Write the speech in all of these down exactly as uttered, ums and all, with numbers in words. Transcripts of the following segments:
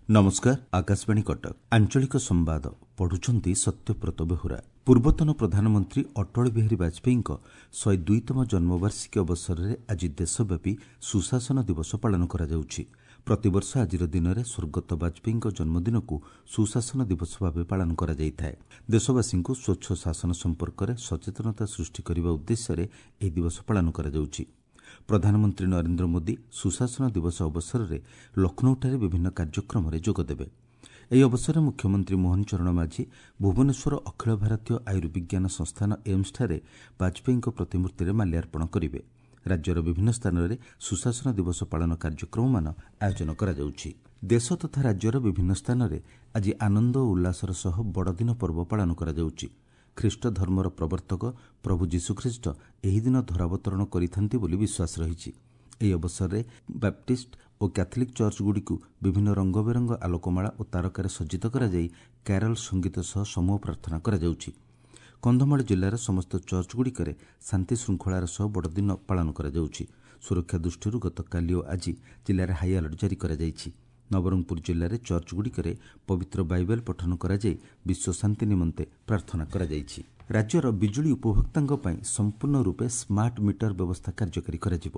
ନମସ୍କାର, ଆକାଶବାଣୀ କଟକ, ଆଞ୍ଚଳିକ ସମ୍ବାଦ ପଢୁଛନ୍ତି ସତ୍ୟବ୍ରତ ବେହୁରା। ପୂର୍ବତନ ପ୍ରଧାନମନ୍ତ୍ରୀ ଅଟଳ ବିହାରୀ ବାଜପେୟୀଙ୍କ ଶହେ ଦୁଇତମ ଜନ୍ମବାର୍ଷିକୀ ଅବସରରେ ଆଜି ଦେଶବ୍ୟାପୀ ସୁଶାସନ ଦିବସ ପାଳନ କରାଯାଉଛି। ପ୍ରତିବର୍ଷ ଆଜିର ଦିନରେ ସ୍ୱର୍ଗତ ବାଜପେୟୀଙ୍କ ଜନ୍ମଦିନକୁ ସୁଶାସନ ଦିବସ ଭାବେ ପାଳନ କରାଯାଇଥାଏ। ଦେଶବାସୀଙ୍କୁ ସ୍ୱଚ୍ଛ ଶାସନ ସମ୍ପର୍କରେ ସଚେତନତା ସୃଷ୍ଟି କରିବା ଉଦ୍ଦେଶ୍ୟରେ ଏହି ଦିବସ ପାଳନ କରାଯାଉଛି। ପ୍ରଧାନମନ୍ତ୍ରୀ ନରେନ୍ଦ୍ର ମୋଦି ସୁଶାସନ ଦିବସ ଅବସରରେ ଲକ୍ଷ୍ନୌଠାରେ ବିଭିନ୍ନ କାର୍ଯ୍ୟକ୍ରମରେ ଯୋଗଦେବେ। ଏହି ଅବସରରେ ମୁଖ୍ୟମନ୍ତ୍ରୀ ମୋହନ ଚରଣ ମାଝୀ ଭୁବନେଶ୍ୱର ଅଖିଳ ଭାରତୀୟ ଆୟୁର୍ବିଜ୍ଞାନ ସଂସ୍ଥାନ ଏମ୍ସଠାରେ ବାଜପେୟୀଙ୍କ ପ୍ରତିମୂର୍ତ୍ତିରେ ମାଲ୍ୟାର୍ପଣ କରିବେ। ରାଜ୍ୟର ବିଭିନ୍ନ ସ୍ଥାନରେ ସୁଶାସନ ଦିବସ ପାଳନ କାର୍ଯ୍ୟକ୍ରମମାନ ଆୟୋଜନ କରାଯାଉଛି। ଦେଶ ତଥା ରାଜ୍ୟର ବିଭିନ୍ନ ସ୍ଥାନରେ ଆଜି ଆନନ୍ଦ ଓ ଉଲ୍ଲାସର ସହ ବଡ଼ଦିନ ପର୍ବ ପାଳନ କରାଯାଉଛି। ଖ୍ରୀଷ୍ଟ ଧର୍ମର ପ୍ରବର୍ତ୍ତକ ପ୍ରଭୁ ଯୀଶୁଖ୍ରୀଷ୍ଟ ଏହି ଦିନ ଧରାବତରଣ କରିଥାନ୍ତି ବୋଲି ବିଶ୍ୱାସ ରହିଛି। ଏହି ଅବସରରେ ବାପ୍ଟିଷ୍ଟ ଓ କ୍ୟାଥୋଲିକ୍ ଚର୍ଚ୍ଚଗୁଡ଼ିକୁ ବିଭିନ୍ନ ରଙ୍ଗବେରଙ୍ଗ ଆଲୋକମାଳା ଓ ତାରକାରେ ସଜ୍ଜିତ କରାଯାଇ କ୍ୟାରଲ୍ ସଙ୍ଗୀତ ସହ ସମୂହ ପ୍ରାର୍ଥନା କରାଯାଉଛି। କନ୍ଧମାଳ ଜିଲ୍ଲାର ସମସ୍ତ ଚର୍ଚ୍ଚଗୁଡ଼ିକରେ ଶାନ୍ତିଶୃଙ୍ଖଳାର ସହ ବଡ଼ଦିନ ପାଳନ କରାଯାଉଛି। ସୁରକ୍ଷା ଦୃଷ୍ଟିରୁ ଗତକାଲି ଓ ଆଜି ଜିଲ୍ଲାରେ ହାଇଆଲର୍ଟ ଜାରି କରାଯାଇଛି। ନବରଙ୍ଗପୁର ଜିଲ୍ଲାରେ ଚର୍ଚ୍ଚଗୁଡ଼ିକରେ ପବିତ୍ର ବାଇବେଲ ପଠନ କରାଯାଇ ବିଶ୍ୱ ଶାନ୍ତି ନିମନ୍ତେ ପ୍ରାର୍ଥନା କରାଯାଇଛି। ରାଜ୍ୟର ବିଜୁଳି ଉପଭୋକ୍ତାଙ୍କ ପାଇଁ ସମ୍ପୂର୍ଣ୍ଣ ରୂପେ ସ୍ମାର୍ଟ ମିଟର ବ୍ୟବସ୍ଥା କାର୍ଯ୍ୟକାରୀ କରାଯିବ।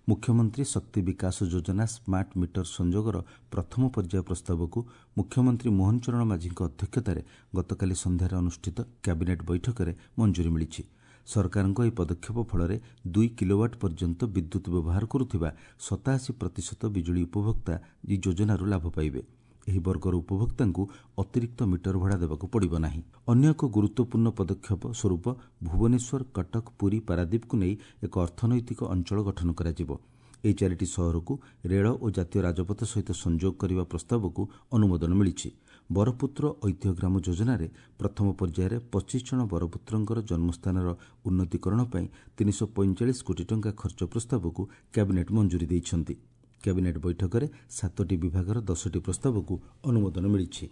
ମୁଖ୍ୟମନ୍ତ୍ରୀ ଶକ୍ତି ବିକାଶ ଯୋଜନା ସ୍ମାର୍ଟ ମିଟର ସଂଯୋଗର ପ୍ରଥମ ପର୍ଯ୍ୟାୟ ପ୍ରସ୍ତାବକୁ ମୁଖ୍ୟମନ୍ତ୍ରୀ ମୋହନ ଚରଣ ମାଝୀଙ୍କ ଅଧ୍ୟକ୍ଷତାରେ ଗତକାଲି ସନ୍ଧ୍ୟାରେ ଅନୁଷ୍ଠିତ କ୍ୟାବିନେଟ୍ ବୈଠକରେ ମଞ୍ଜୁରୀ ମିଳିଛି। ସରକାରଙ୍କ ଏହି ପଦକ୍ଷେପ ଫଳରେ ଦୁଇ କିଲୋୱାଟ୍ ପର୍ଯ୍ୟନ୍ତ ବିଦ୍ୟୁତ୍ ବ୍ୟବହାର କରୁଥିବା ସତାଅଶୀ ପ୍ରତିଶତ ବିଜୁଳି ଉପଭୋକ୍ତା ଏହି ଯୋଜନାରୁ ଲାଭ ପାଇବେ। ଏହି ବର୍ଗର ଉପଭୋକ୍ତାଙ୍କୁ ଅତିରିକ୍ତ ମିଟର ଭଡ଼ା ଦେବାକୁ ପଡ଼ିବ ନାହିଁ। ଅନ୍ୟ ଏକ ଗୁରୁତ୍ୱପୂର୍ଣ୍ଣ ପଦକ୍ଷେପ ସ୍ୱରୂପ ଭୁବନେଶ୍ୱର, କଟକ, ପୁରୀ, ପାରାଦୀପକୁ ନେଇ ଏକ ଅର୍ଥନୈତିକ ଅଞ୍ଚଳ ଗଠନ କରାଯିବ। ଏହି ଚାରିଟି ସହରକୁ ରେଳ ଓ ଜାତୀୟ ରାଜପଥ ସହିତ ସଂଯୋଗ କରିବା ପ୍ରସ୍ତାବକୁ ଅନୁମୋଦନ ମିଳିଛି। ବରପୁତ୍ର ଐତିହ୍ୟ ଗ୍ରାମ ଯୋଜନାରେ ପ୍ରଥମ ପର୍ଯ୍ୟାୟରେ ପଚିଶ ଜଣ ବରପୁତ୍ରଙ୍କର ଜନ୍ମସ୍ଥାନର ଉନ୍ନତିକରଣ ପାଇଁ ତିନିଶହ ପଇଁଚାଳିଶ କୋଟି ଟଙ୍କା ଖର୍ଚ୍ଚ ପ୍ରସ୍ତାବକୁ କ୍ୟାବିନେଟ୍ ମଞ୍ଜୁରୀ ଦେଇଛନ୍ତି। କ୍ୟାବିନେଟ୍ ବୈଠକରେ ସାତଟି ବିଭାଗର ଦଶଟି ପ୍ରସ୍ତାବକୁ ଅନୁମୋଦନ ମିଳିଛି।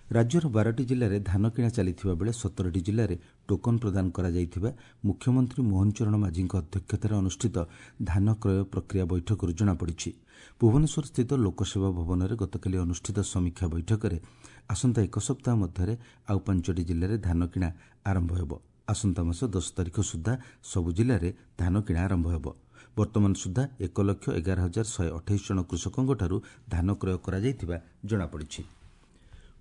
ରାଜ୍ୟର ବାରଟି ଜିଲ୍ଲାରେ ଧାନ କିଣା ଚାଲିଥିବା ବେଳେ ସତରଟି ଜିଲ୍ଲାରେ ଟୋକନ ପ୍ରଦାନ କରାଯାଇଥିବା ମୁଖ୍ୟମନ୍ତ୍ରୀ ମୋହନ ଚରଣ ମାଝୀଙ୍କ ଅଧ୍ୟକ୍ଷତାରେ ଅନୁଷ୍ଠିତ ଧାନ କ୍ରୟ ପ୍ରକ୍ରିୟା ବୈଠକରୁ ଜଣାପଡ଼ିଛି। ଭୁବନେଶ୍ୱରସ୍ଥିତ ଲୋକସେବା ଭବନରେ ଗତକାଲି ଅନୁଷ୍ଠିତ ସମୀକ୍ଷା ବୈଠକରେ ଆସନ୍ତା ଏକ ସପ୍ତାହ ମଧ୍ୟରେ ଆଉ ପାଞ୍ଚଟି ଜିଲ୍ଲାରେ ଧାନ କିଣା ଆରମ୍ଭ ହେବ। ଆସନ୍ତା ମାସ ଦଶ ତାରିଖ ସୁଦ୍ଧା ସବୁ ଜିଲ୍ଲାରେ ଧାନ କିଣା ଆରମ୍ଭ ହେବ। ବର୍ତ୍ତମାନ ସୁଦ୍ଧା ଏକ ଲକ୍ଷ ଏଗାର ହଜାର ଶହେ ଅଠେଇଶ ଜଣ କୃଷକଙ୍କଠାରୁ ଧାନ କ୍ରୟ କରାଯାଇଥିବା ଜଣାପଡ଼ିଛି।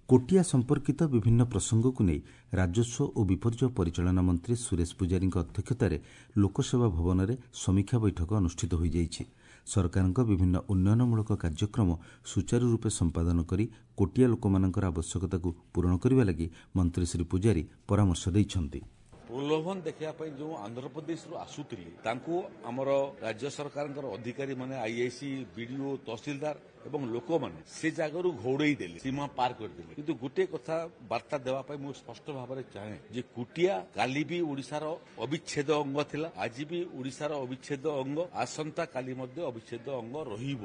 କୋଟିଆ ସମ୍ପର୍କିତ ବିଭିନ୍ନ ପ୍ରସଙ୍ଗକୁ ନେଇ ରାଜସ୍ୱ ଓ ବିପର୍ଯ୍ୟୟ ପରିଚାଳନା ମନ୍ତ୍ରୀ ସୁରେଶ ପୂଜାରୀଙ୍କ ଅଧ୍ୟକ୍ଷତାରେ ଲୋକସେବା ଭବନରେ ସମୀକ୍ଷା ବୈଠକ ଅନୁଷ୍ଠିତ ହୋଇଯାଇଛି। ସରକାରଙ୍କ ବିଭିନ୍ନ ଉନ୍ନୟନମୂଳକ କାର୍ଯ୍ୟକ୍ରମ ସୁଚାରୁ ରୂପେ ସମ୍ପାଦନ କରି କୋଟିଆ ଲୋକମାନଙ୍କର ଆବଶ୍ୟକତାକୁ ପୂରଣ କରିବା ଲାଗି ମନ୍ତ୍ରୀ ଶ୍ରୀ ପୂଜାରୀ ପରାମର୍ଶ ଦେଇଛନ୍ତି। ପ୍ରଲୋଭନ ଦେଖିବା ପାଇଁ ଯେଉଁ ଆନ୍ଧ୍ରପ୍ରଦେଶରୁ ଆସୁଥିଲେ ତାଙ୍କୁ ଆମର ରାଜ୍ୟ ସରକାରଙ୍କର ଅଧିକାରୀମାନେ, ଆଇଆଇସି, ବିଡିଓ, ତହସିଲଦାର ଏବଂ ଲୋକମାନେ ସେ ଜାଗାରୁ ଘଉଡେଇ ଦେଲେ, ସୀମା ପାର କରିଦେଲେ। କିନ୍ତୁ ଗୋଟିଏ କଥା ବାର୍ତ୍ତା ଦେବା ପାଇଁ ମୁଁ ସ୍ପଷ୍ଟ ଭାବରେ ଚାହେଁ ଯେ କୁଟିଆ କାଲି ବି ଓଡ଼ିଶାର ଅବିଚ୍ଛେଦ ଅଙ୍ଗ ଥିଲା, ଆଜି ବି ଓଡ଼ିଶାର ଅବିଚ୍ଛେଦ ଅଙ୍ଗ, ଆସନ୍ତା କାଲି ମଧ୍ୟ ଅବିଚ୍ଛେଦ ଅଙ୍ଗ ରହିବ।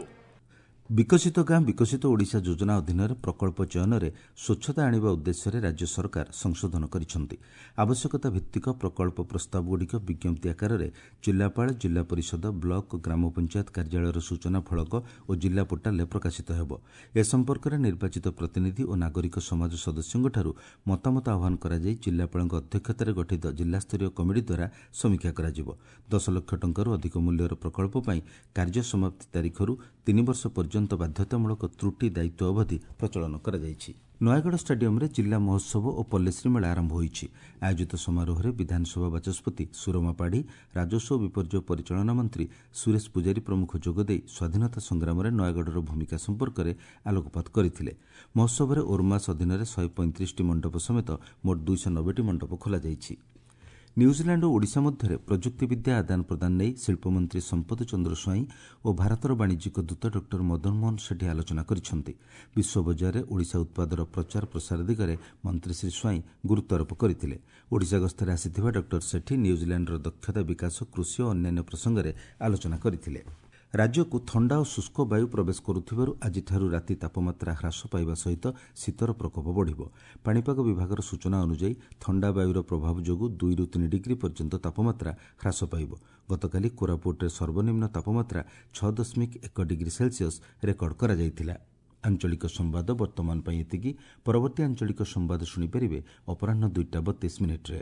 ବିକଶିତ ଗାଁ ବିକଶିତ ଓଡ଼ିଶା ଯୋଜନା ଅଧୀନରେ ପ୍ରକଳ୍ପ ଚୟନରେ ସ୍ୱଚ୍ଛତା ଆଣିବା ଉଦ୍ଦେଶ୍ୟରେ ରାଜ୍ୟ ସରକାର ସଂଶୋଧନ କରିଛନ୍ତି। ଆବଶ୍ୟକତା ଭିତ୍ତିକ ପ୍ରକଳ୍ପ ପ୍ରସ୍ତାବଗୁଡ଼ିକ ବିଜ୍ଞପ୍ତି ଆକାରରେ ଜିଲ୍ଲାପାଳ, ଜିଲ୍ଲା ପରିଷଦ, ବ୍ଲକ, ଗ୍ରାମ ପଞ୍ଚାୟତ କାର୍ଯ୍ୟାଳୟର ସୂଚନା ଫଳକ ଓ ଜିଲ୍ଲା ପୋର୍ଟାଲରେ ପ୍ରକାଶିତ ହେବ। ଏ ସମ୍ପର୍କରେ ନିର୍ବାଚିତ ପ୍ରତିନିଧି ଓ ନାଗରିକ ସମାଜ ସଦସ୍ୟଙ୍କଠାରୁ ମତାମତ ଆହ୍ୱାନ କରାଯାଇ ଜିଲ୍ଲାପାଳଙ୍କ ଅଧ୍ୟକ୍ଷତାରେ ଗଠିତ ଜିଲ୍ଲାସ୍ତରୀୟ କମିଟି ଦ୍ୱାରା ସମୀକ୍ଷା କରାଯିବ। ଦଶ ଲକ୍ଷ ଟଙ୍କାରୁ ଅଧିକ ମୂଲ୍ୟର ପ୍ରକଳ୍ପ ପାଇଁ କାର୍ଯ୍ୟ ସମାପ୍ତି ତାରିଖରୁ ତିନି ବର୍ଷ ପର୍ଯ୍ୟନ୍ତ ବାଧ୍ୟତାମୂଳକ ତ୍ରୁଟି ଦାୟିତ୍ୱ ଅବଧି ପ୍ରଚଳନ କରାଯାଇଛି। ନୟାଗଡ଼ ଷ୍ଟାଡିୟମରେ ଜିଲ୍ଲା ମହୋତ୍ସବ ଓ ପଲ୍ଲୀଶ୍ରୀ ମେଳା ଆରମ୍ଭ ହୋଇଛି। ଆୟୋଜିତ ସମାରୋହରେ ବିଧାନସଭା ବାଚସ୍ପତି ସୁରମା ପାଢ଼ୀ, ରାଜସ୍ୱ ଓ ବିପର୍ଯ୍ୟୟ ପରିଚାଳନା ମନ୍ତ୍ରୀ ସୁରେଶ ପୂଜାରୀ ପ୍ରମୁଖ ଯୋଗଦେଇ ସ୍ୱାଧୀନତା ସଂଗ୍ରାମରେ ନୟାଗଡ଼ର ଭୂମିକା ସମ୍ପର୍କରେ ଆଲୋକପାତ କରିଥିଲେ। ମହୋତ୍ସବରେ ଓର୍ମାସ୍ ଅଧୀନରେ ଶହେ ପଇଁତିରିଶଟି ମଣ୍ଡପ ସମେତ ମୋଟ ଦୁଇଶହ ନବେଟି ମଣ୍ଡପ ଖୋଲାଯାଇଛି। ନ୍ୟୁଜିଲାଣ୍ଡ ଓ ଓଡ଼ିଶା ମଧ୍ୟରେ ପ୍ରଯୁକ୍ତିବିଦ୍ୟା ଆଦାନ ପ୍ରଦାନ ନେଇ ଶିଳ୍ପମନ୍ତ୍ରୀ ସମ୍ପଦ ଚନ୍ଦ୍ର ସ୍ୱାଇଁ ଓ ଭାରତର ବାଣିଜ୍ୟିକ ଦୂତ ଡକ୍ଟର ମଦନ ମୋହନ ସେଠୀ ଆଲୋଚନା କରିଛନ୍ତି। ବିଶ୍ୱ ବଜାରରେ ଓଡ଼ିଶା ଉତ୍ପାଦର ପ୍ରଚାର ପ୍ରସାର ଦିଗରେ ମନ୍ତ୍ରୀ ଶ୍ରୀ ସ୍ୱାଇଁ ଗୁରୁତ୍ୱାରୋପ କରିଥିଲେ। ଓଡ଼ିଶା ଗସ୍ତରେ ଆସିଥିବା ଡକ୍ଟର ସେଠୀ ନ୍ୟୁଜିଲାଣ୍ଡର ଦକ୍ଷତା ବିକାଶ, କୃଷି ଓ ଅନ୍ୟାନ୍ୟ ପ୍ରସଙ୍ଗରେ ଆଲୋଚନା କରିଥିଲେ। ରାଜ୍ୟକୁ ଥଣ୍ଡା ଓ ଶୁଷ୍କ ବାୟୁ ପ୍ରବେଶ କରୁଥିବାରୁ ଆଜିଠାରୁ ରାତି ତାପମାତ୍ରା ହ୍ରାସ ପାଇବା ସହିତ ଶୀତର ପ୍ରକୋପ ବଢ଼ିବ। ପାଣିପାଗ ବିଭାଗର ସୂଚନା ଅନୁଯାୟୀ ଥଣ୍ଡା ବାୟୁର ପ୍ରଭାବ ଯୋଗୁଁ ଦୁଇରୁ ତିନି ଡିଗ୍ରୀ ପର୍ଯ୍ୟନ୍ତ ତାପମାତ୍ରା ହ୍ରାସ ପାଇବ। ଗତକାଲି କୋରାପୁଟରେ ସର୍ବନିମ୍ନ ତାପମାତ୍ରା ଛଅ ଦଶମିକ ଏକ ଡିଗ୍ରୀ ସେଲସିୟସ୍ ରେକର୍ଡ କରାଯାଇଥିଲା। ଆଞ୍ଚଳିକ ସମ୍ବାଦ ବର୍ତ୍ତମାନ ପାଇଁ ଏତିକି। ପରବର୍ତ୍ତୀ ଆଞ୍ଚଳିକ ସମ୍ବାଦ ଶୁଣିପାରିବେ ଅପରାହ୍ନ ଦୁଇଟା ବତିଶ ମିନିଟ୍ରେ।